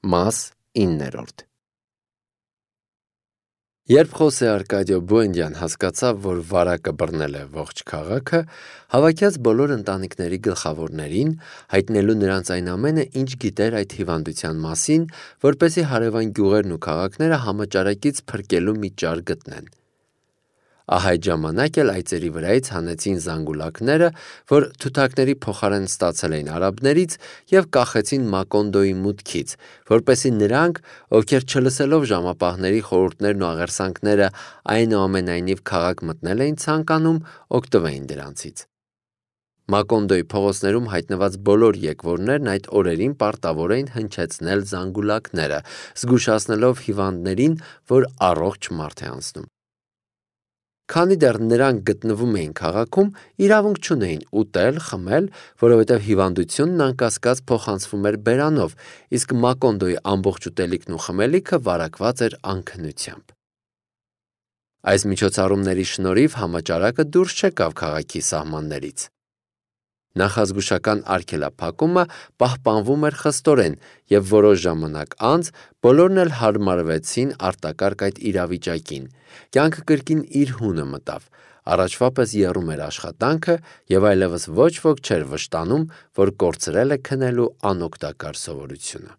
Մաս 9 Երբ Խոսե Արկադիո Բուենդյան հասկացավ, որ վարակը բռնել է ողջ քաղաքը, հավաքյաց բոլոր ընտանիքների գլխավորներին, հայտնելու նրանց այն ամենը, ինչ գիտեր այդ հիվանդության մասին, որպեսզի հարևան գյուղերն ու քաղաքները համաճարակից փրկելու մի ճար գտնեն։ Ահա այդ ժամանակ էլ այծերի վրայից հանեցին զանգուլակները, որ թութակների փոխարեն ստացել էին արաբներից, և կախեցին Մակոնդոյի մուտքից, որպեսզի նրանք, ովքեր չլսելով ժամապահների խորհուրդներն ու աղերսանքները, այնուամենայնիվ քաղաք մտնել էին ցանկանում, օգտվեին դրանցից։ Մակոնդոյի փողոցներում հայտնված բոլոր եկվորներն այդ օրերին պարտավոր էին հնչեցնել զանգուլակները, զգուշացնելով հիվանդներին, որ առողջ մարդ է անցնում։ Քանի դեռ նրանք գտնվում էին քաղաքում, իրավունք չունեին ուտել, խմել, որովհետև հիվանդությունն անկասկած փոխանցվում էր բերանով, իսկ Մակոնդոյի ամբողջ ուտելիքն ու խմելիքը վարակված էր անքնությամբ։ Այս միջոցառումների շնորհիվ համաճարակը դուրս չեկավ քաղաքի սահմաններից։ Նախազգուշական արգելափակումը պահպանվում էր խստորեն, և որոշ ժամանակ անց բոլորն էլ հարմարվեցին արտակարգ այդ իրավիճակին, կյանքը կրկին իր հունը մտավ, առաջվա պես եռում էր աշխատանքը, և այլևս ոչ ոք չէր վշտանում, որ կորցրել է քնելու անօգտակար սովորությունը։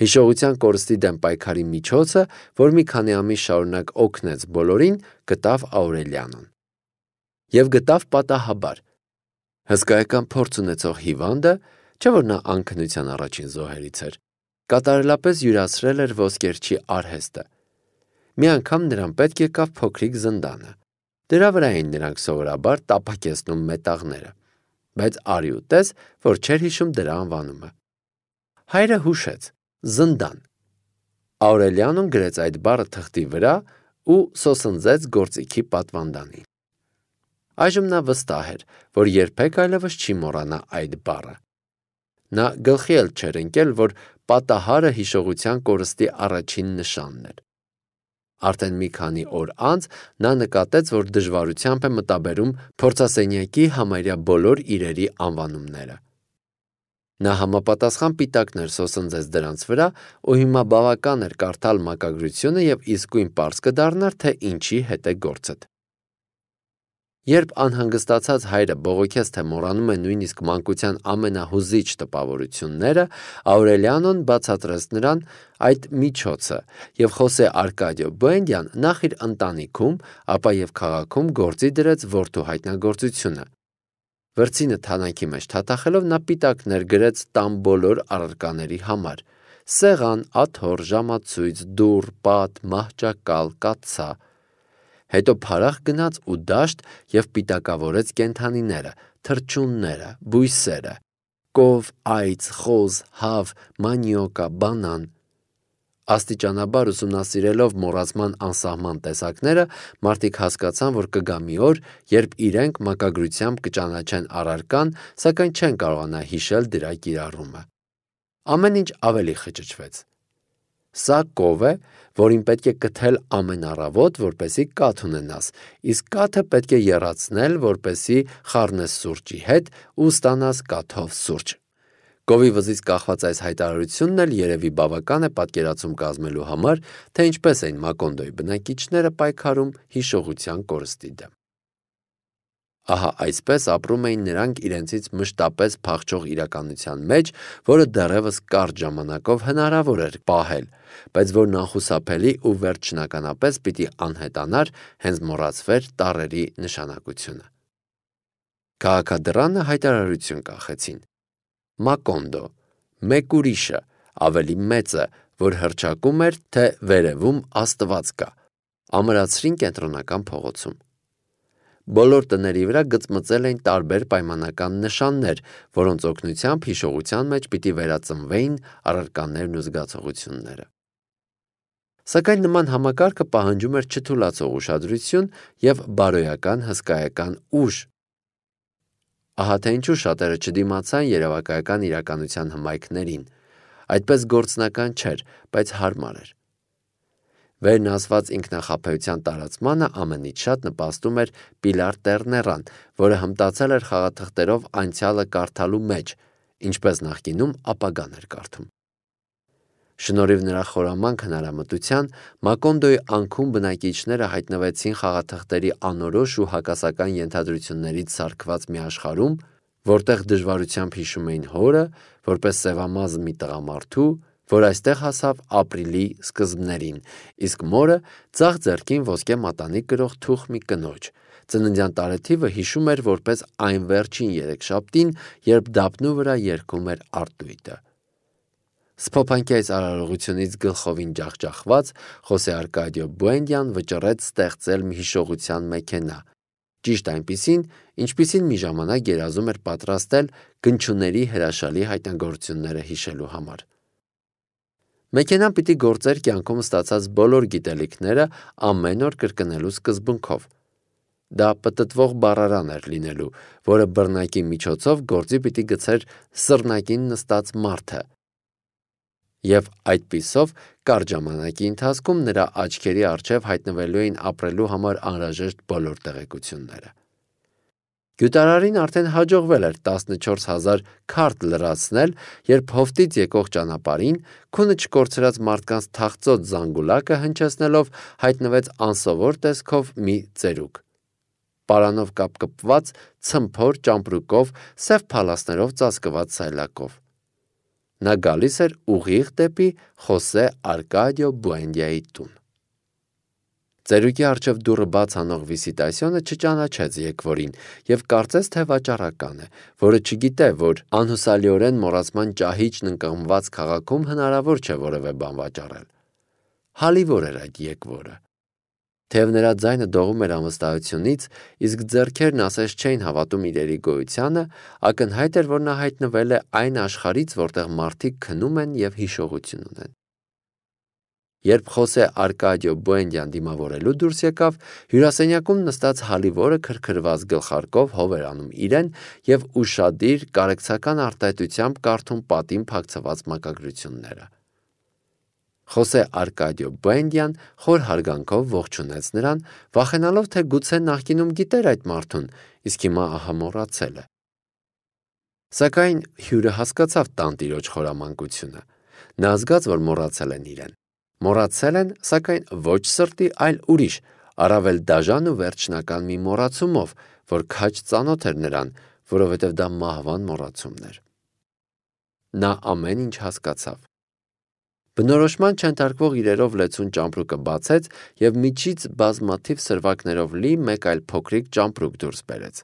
Հիշողության կորստի դեմ պայքարի միջոցը, որ մի քանի ամիս շարունակ օգնեց բոլորին, գտավ Աուրելիանոն։ Եվ գտավ պատահաբար։ Հսկայական փորձ ունեցող հիվանդը, չէ՞ որ նա անքնության առաջին զոհերից էր, կատարելապես յուրացրել էր ոսկերչի արհեստը։ Մի անգամ նրան պետք եկավ փոքրիկ զնդանը։ Դրա վրա էին նրանք սովորաբար տապակեցնում մետաղները, բայց արի ու տես, որ չէր հիշում դրա անվանումը։ Հայրը հուշեց. զնդան։ Աուրելիանոն գրեց այդ բառը թղթի վրա ու սոսնձեց գործիքի պատվանդանին։ Այժմ նա վստահ էր, որ երբեք այլևս չի մոռանա այդ բառը։ Նա գլխի էլ չէր ընկել, որ պատահարը հիշողության կորստի առաջին նշանն էր։ Արդեն մի քանի օր անց նա նկատեց, որ դժվարությամբ է մտաբերում փորձասենյակի համարյա բոլոր իրերի անվանումները։ Նա համապատասխան պիտակներ սոսնձեց դրանց վրա, ու հիմա բավական էր կարդալ մակագրությունը և իսկույն պարզ կդառնար, թե ինչի հետ է գործդ։ Երբ անհանգստացած հայրը բողոքեց, թե մոռանում է նույնիսկ մանկության ամենահուզիչ տպավորությունները, Աուրելիանոն բացատրեց նրան այդ միջոցը, և Խոսե Արկադիո Բուենդյան նախ իր ընտանիքում, ապա և քաղաքում գործի դրեց որդու հայտնագործությունը։ Վրձինը թանաքի մեջ թաթախելով նա պիտակներ գրեց տան բոլոր առարկաների համար՝ սեղան, աթոռ, ժամացույց, դուռ, պատ, մահճակալ, կաթսա։ Հետո փարախ գնաց ու դաշտ և պիտակավորեց կենդանիները, թռչունները, բույսերը՝ կով, այծ, խոզ, հավ, մանիոկա, բանան։ Աստիճանաբար ուսումնասիրելով մոռացման անսահման տեսակները, մարդիկ հասկացան, որ կգա մի օր, երբ իրենք մակագրությամբ կճանաչեն առարկան, սակայն չեն կարողանա հիշել դրա կիրառումը։ Ամեն ինչ ավելի խճճվեց։ Սա կով է, որին պետք է կթել ամեն առավոտ, որպեսզի կաթ ունենաս, իսկ կաթը պետք է եռացնել, որպեսզի խառնես սուրճի հետ ու ստանաս կաթով սուրճ։ Կովի վզից կախված այս հայտարարությունն էլ երևի բավական է պատկերացում կազմելու համար, թե ինչպես էին Մակոնդոյի բնակիչները պայքարում հիշողության կորստի դեմ։ Ահա այսպես ապրում էին նրանք իրենցից մշտապես փախչող իրականության մեջ, որը դեռևս կարճ ժամանակով հնարավոր էր պահել, բայց որն անխուսափելի ու վերջնականապես պիտի անհետանար, հենց մոռացվեր տառերի նշանակությունը։ Քաղաքադռանը հայտարարություն կախեցին. Մակոնդո, մեկ ուրիշը, ավելի մեծը, որ հռչակում էր, թե վերևում Աստված կա, ամրացրին կենտրոնական փողոցում։ Բոլոր տների վրա գծմծել էին տարբեր պայմանական նշաններ, որոնց օգնությամբ հիշողության մեջ պիտի վերածնվեին առարկաներն ու զգացողությունները։ Սակայն նման համակարգը պահանջում էր չթուլացող ուշադրություն և բարոյական հսկայական ուժ։ Ահա թե ինչու շատերը չդիմացան երևակայական իրականության հմայքներին։ Այդպես գործնական չէր, բայց հարմար էր։ Վերն ասված ինքնախաբեության տարածմանը ամենից շատ նպաստում էր Պիլար Տերներան, որը հմտացել էր խաղաթղթերով անցյալը կարդալու մեջ, ինչպես նախկինում ապագան էր կարդում։ Շնորհիվ նրա խորամանկ հնարամտության Մակոնդոյի անքուն բնակիչները հայտնվեցին խաղաթղթերի անորոշ ու հակասական ենթադրություններից սարքված մի աշխարհում, որտեղ դժվարությամբ հիշում էին հորը, որպես սևամազ մի տղամարդու, որ այստեղ հասավ ապրիլի սկզբներին, իսկ մորը ձախ ձեռքին ոսկե մատանի կրող թուխ մի կնոջ։ Ծննդյան տարեթիվը հիշում էր որպես այն վերջին երեքշաբթին, երբ դափնու վրա երգում էր արտույտը։ Սփոփանքի այս արարողությունից գլխովին ջախջախված Խոսե Արկադիո Բուենդյան վճռեց ստեղծել մի հիշողության մեքենա, ճիշտ այնպիսին, ինչպիսին մի ժամանակ երազում էր պատրաստել գնչուների հրաշալի հայտնագործությունները հիշելու համար։ Մեքենան պիտի գործեր կյանքում ստացած բոլոր գիտելիքները ամեն օր կրկնելու սկզբունքով։ Դա պտտվող բառարան էր լինելու, որը բռնակի միջոցով գործի պիտի գցեր սռնակին նստած մարդը, և այդպիսով կարճ ժամանակի ընթացքում նրա աչքերի առջև հայտնվելու էին ապրելու համար անհրաժեշտ բոլոր տեղեկությունները։ Գյուտարարին արդեն հաջողվել էր 14,000 քարտ լրացնել, երբ հովտից եկող ճանապարհին քունը չկորցրած մարդկանց թախծոտ զանգուլակը հնչեցնելով հայտնվեց անսովոր տեսքով մի ծերուկ, պարանով կապկպված, ցմփոր ճամպրուկով, սև փալասներով ծածկված սայլակով։ Նա գալիս էր ուղիղ դեպի Խոսե Արկադիո Բուենդյայի տուն։ Ծերուկի առջև դուռը բաց անող վիսիտասյոնը չճանաչեց եկվորին և կարծեց, թե վաճառական է, որը չգիտե, որ անհուսալիորեն մոռացման ճահիճն ընկղմված քաղաքում հնարավոր չէ որևէ բան վաճառել։ Հալիվոր էր այդ եկվորը։ Թեև նրա ձայնը դողում էր անվստահությունից, իսկ ձեռքերն ասես չէին հավատում իրերի գոյությանը, ակնհայտ էր, որ նա հայտնվել է այն աշխարհից, որտեղ մարդիկ քնում են և հիշողություն ունեն։ Երբ Խոսե Արկադիո Բուենդյան դիմավորելու դուրս եկավ, հյուրասենյակում նստած Հալիվորը քրքրված գլխարկով հով էր անում իրեն և ուշադիր կարեկցական արտահայտությամբ կարդում պատին փակցված մակագրությունները։ Խոսե Արկադիո Բուենդյան խոր հարգանքով ողջունեց նրան, վախենալով, թե գուցե նախկինում գիտեր այդ մարդուն, իսկ հիմա ահա մոռացել է։ Սակայն հյուրը հասկացավ տանտիրոջ խորամանկությունը։ Նա զգաց, որ մոռացել են իրեն։ Մոռացել են, սակայն ոչ սրտի, այլ ուրիշ, առավել դաժան ու վերջնական մի մոռացումով, որ քաջ ծանոթ էր նրան, որովհետև դա մահվան մոռացումն էր։ Նա ամեն ինչ հասկացավ։ Բնորոշման չընթարկվող իրերով լեցուն ճամպրուկը բացեց և միջից բազմաթիվ սրվակներով լի մեկ այլ փոքրիկ ճամպրուկ դուրս բերեց։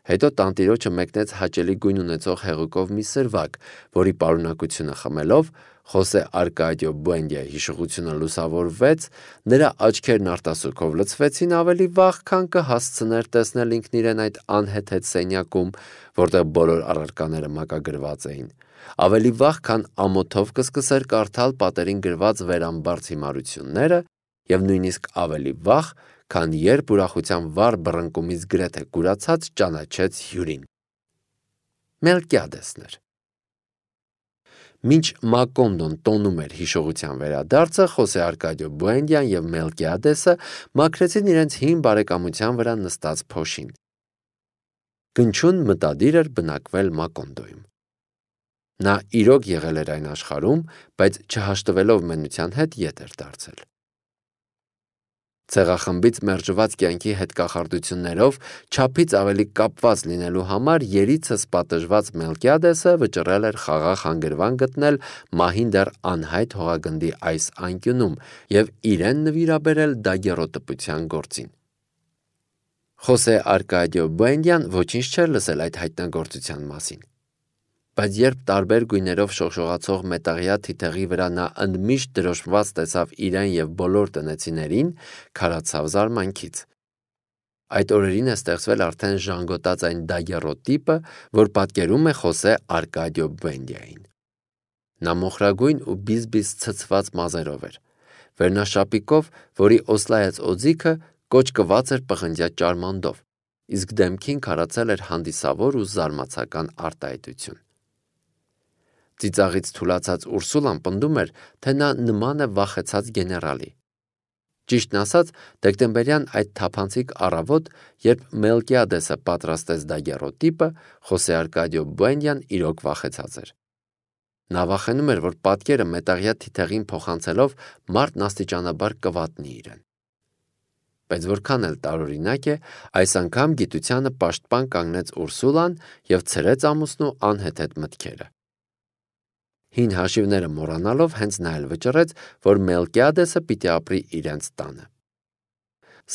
Հետո տանտիրոջը մեկնեց հաճելի գույն ունեցող հեղուկով մի սրվակ, որի պարունակությունը խմելով Խոսե Արկադիո Բուենդյայի հիշողությունը լուսավորվեց, նրա աչքերն արտասուքով լցվեցին ավելի վաղ, քան կհասցներ տեսնել ինքն իրեն այդ անհեթեթ սենյակում, որտեղ բոլոր առարկաները մակագրված էին, ավելի վաղ, քան ամոթով կսկսեր կարդալ պատերին գրված վերամբարձ հիմարությունները և նույնիսկ ավելի վաղ, քան երբ ուրախության վառ բռնկումից գրեթե կուրացած ճանաչեց հյուրին։ Մելկիադեսն էր։ Մինչ Մակոնդոն տոնում էր հիշողության վերադարձը, Խոսե Արկադիո Բուենդյան և Մելկիադեսը մաքրեցին իրենց հին բարեկամության վրա նստած փոշին։ Գնչուն մտադիր էր բնակվել Մակոնդոյում։ Նա իրոք եղել էր այն աշխարհում, բայց չհաշտվելով մենության հետ ետ էր դարձել։ Ցեղախմբից մերժված կյանքի հետ կախարդություններով չափից ավելի կապված լինելու համար երիցս պատժված Մելկիադեսը վճռել էր խաղաղ հանգրվան գտնել մահին դեռ անհայտ հողագնդի այս անկյունում և իրեն նվիրաբերել դագեռոտպության գործին։ Խոսե Արկադիո Բուենդյան ոչինչ չէր լսել այդ հայտնագործության մասին։ Բայց երբ տարբեր գույներով շողշողացող մետաղյա թիթեղի վրա նա ընդմիշտ դրոշմված տեսավ իրեն և բոլոր տնեցիներին, քարացավ զարմանքից։ Այդ օրերին է ստեղծվել արդեն ժանգոտած այն դագեռոտիպը, որ պատկերում է Խոսե Արկադիո Բուենդյային։ Նա մոխրագույն ու բիզբիզ ցցված մազերով էր։ Վերնաշապիկով, որի օսլայած օձիքը կոճկված էր պղնձյա ճարմանդով, իսկ դեմքին քարացել էր հանդիսավոր ու զարմացական արտահայտություն։ Ծիծաղից թուլացած Ուրսուլան պնդում էր, թե նա նման է վախեցած գեներալի։ Ճիշտն ասած, դեկտեմբերյան այդ թափանցիկ առավոտ, երբ Մելկիադեսը պատրաստեց դագեռոտիպը, Խոսե Արկադիո Բուենդյան իրոք վախեցած էր։ Նա վախենում էր, որ պատկերը մետաղյա թիթեղին փոխանցելով մարդն աստիճանաբար կվատնի իրեն։ Բայց որքան էլ տարօրինակ է, այս անգամ գիտությանը պաշտպան կանգնեց Ուրսուլան և ցրեց ամուսնու անհեթեթ մտքերը։ Հին հաշիվները մոռանալով հենց նա էլ վճռեց, որ Մելկիադեսը պիտի ապրի իրենց տանը։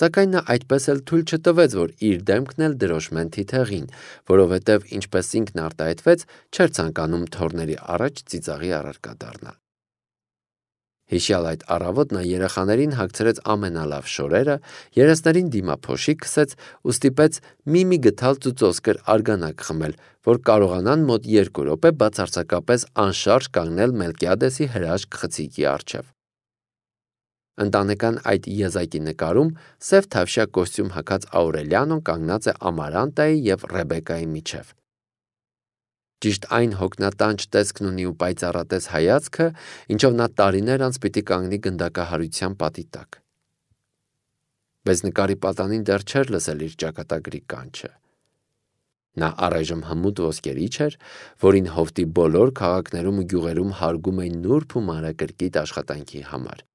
Սակայն նա այդպես էլ թույլ չտվեց, որ իր դեմքն էլ դրոշմեն թիթեղին, որովհետև, ինչպես ինքն արտահայտվեց, չէր ցանկանում թոռների առաջ ծիծաղի առարկա դառնալ։ Հիշյալ այդ առավոտ նա երեխաներին հագցրեց ամենալավ շորերը, երեսներին դիմափոշի քսեց ու ստիպեց մի գթալ ծուծոսկր արգանակ խմել, որ կարողանան մոտ 2 րոպե բացարձակապես անշարժ կանգնել Մելկիադեսի հրաշք խցիկի առջև։ Ընտանեկան այդ եզակի նկարում սև թավշյա կոստյում հագած Աուրելիանոն կանգնած է Ամարանտայի և Ռեբեկայի միջև։ Ճիշտ այն հոգնատանջ տեսքն ունի ու պայծառատես հայացքը, ինչով նա տարիներ անց պիտի կանգնի գնդակահարության պատի տակ։ Բայց նկարի պատանին դեռ չէր լսել իր ճակատագրի կանչը։ Նա առայժմ հմուտ ոսկերիչ էր, որին հովտի բոլոր քաղաքներում ու գյուղերում հարգում էին նուրբ ու մանրակրկիտ աշխատանքի համար։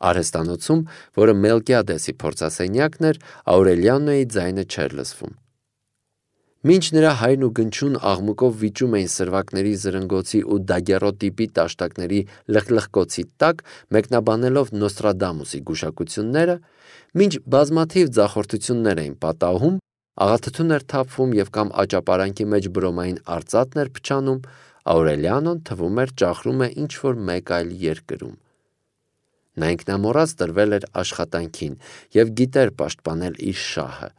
Արհեստանոցում, որը Մելկիադեսի փորձասենյակն էր, Աուրելիանոյի ձայնը չէր լսվում։ Մինչ նրա հայրն ու գնչուն աղմուկով վիճում էին սրվակների զրնգոցի ու դագերոտիպի տաշտակների լխլխկոցի տակ, մեկնաբանելով Նոստրադամուսի գուշակությունները, մինչ բազմաթիվ ձախորդություններ էին պատահում, աղաթթուն էր թափվում և կամ աճապարանքի մեջ բրոմային արծաթն էր փչանում, Աուրելիանոն թվում էր ճախրում է ինչ-որ մեկ այլ երկրում։ Նա ինքնամոռաց տրվել էր աշխատանքին և գիտեր պաշտպանել իր շահը։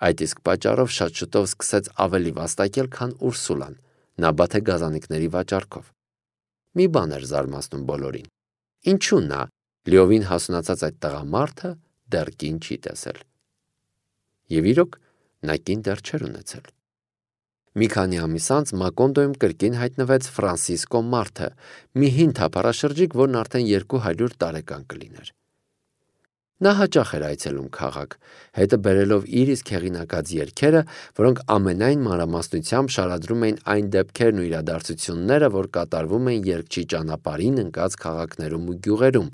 Այդ իսկ պատճառով շատ շուտով սկսեց ավելի վաստակել, քան Ուրսուլան, նաբաթե գազանիկների վաճառքով։ Մի բան էր զարմացնում բոլորին. ինչու նա, լիովին հասունացած այդ տղամարդը, դեռ կին չի տեսել։ Եվ իրոք, նա կին դեռ չէր ունեցել։ Մի քանի ամիս անց Մակոնդոյում կրկին հայտնվեց Ֆրանսիսկո Մարթը, մի հին թափառաշրջիկ, որն արդեն 200 տարեկան կլիներ։ Նա հաճախ էր այցելում քաղաք, հետը բերելով իր իսկ հեղինակած երգերը, որոնք ամենայն մանրամասնությամբ շարադրում էին այն դեպքերն ու իրադարձությունները, որ կատարվում էին երգչի ճանապարհին ընկած քաղաքներում ու գյուղերում,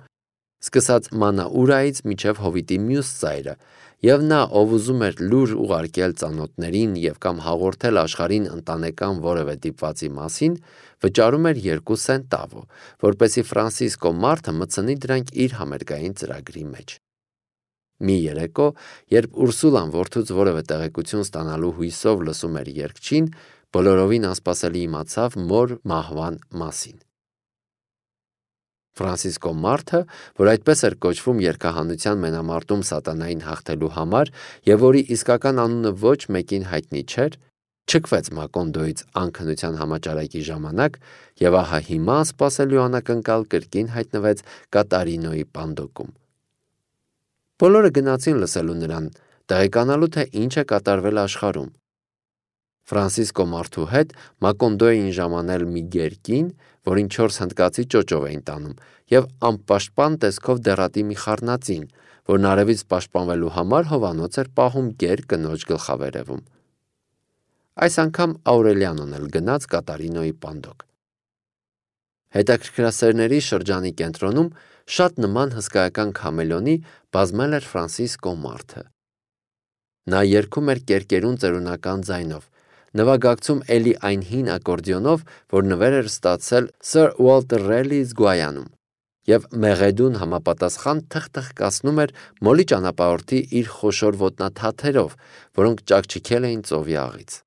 սկսած Մանաուրայից մինչև Հովիտի մյուս ծայրը, և նա, ով ուզում էր լուր ուղարկել ծանոթներին և կամ հաղորդել աշխարհին ընտանեկան որևէ դիպվածի մասին, վճարում էր 2 սենտավո, որպեսզի Ֆրանսիսկո Մարթը մտցնի դրանք իր համերգային ծրագրի մեջ։ Մի երեկո, երբ Ուրսուլան որդուց որևէ տեղեկություն ստանալու հույսով լսում էր երգչին, բոլորովին անսպասելի իմացավ մոր մահվան մասին։ Ֆրանսիսկո Մարթը, որ այդպես էր կոչվում երգահանության մենամարտում սատանային հաղթելու համար և որի իսկական անունը ոչ մեկին հայտնի չէր, չքվեց Մակոնդոյից անքնության համաճարակի ժամանակ և ահա հիմա անսպասելի ու անակնկալ կրկին հայտնվեց Կատարինոյի պանդոկում։ Բոլորը գնացին լսելու նրան, տեղեկանալու, թե ինչ է կատարվել աշխարհում։ Ֆրանսիսկո Մարթու հետ Մակոնդոյ էին ժամանել մի գերկին, որին 4 հնդկացի ճոճով էին տանում, և անպաշտպան տեսքով դեռատի մի խառնածին, որն արևից պաշտպանվելու համար հովանոց էր պահում գեր կնոջ գլխավերևում։ Այս անգամ Աուրելիանոն էլ գնաց Կատարինոյի պանդոկ։ Հետաքրքրասերների շրջանի կենտրոնում շատ նման հսկայական քամելոնի բազմել էր Ֆրանսիսկո Մարթը։ Նա երգում էր կերկերուն ծերունական ձայնով, նվագակցում էլի այն հին ակորդեոնով, որ նվեր էր ստացել Սր Ուոլտեր Ռելլիից Գուայանում, և մեղեդուն համապատասխան թխթխկացնում էր մոլի ճանապարհորդի իր խոշոր ոտնաթաթերով, որոնք ճաքճքել էին ծովի աղից։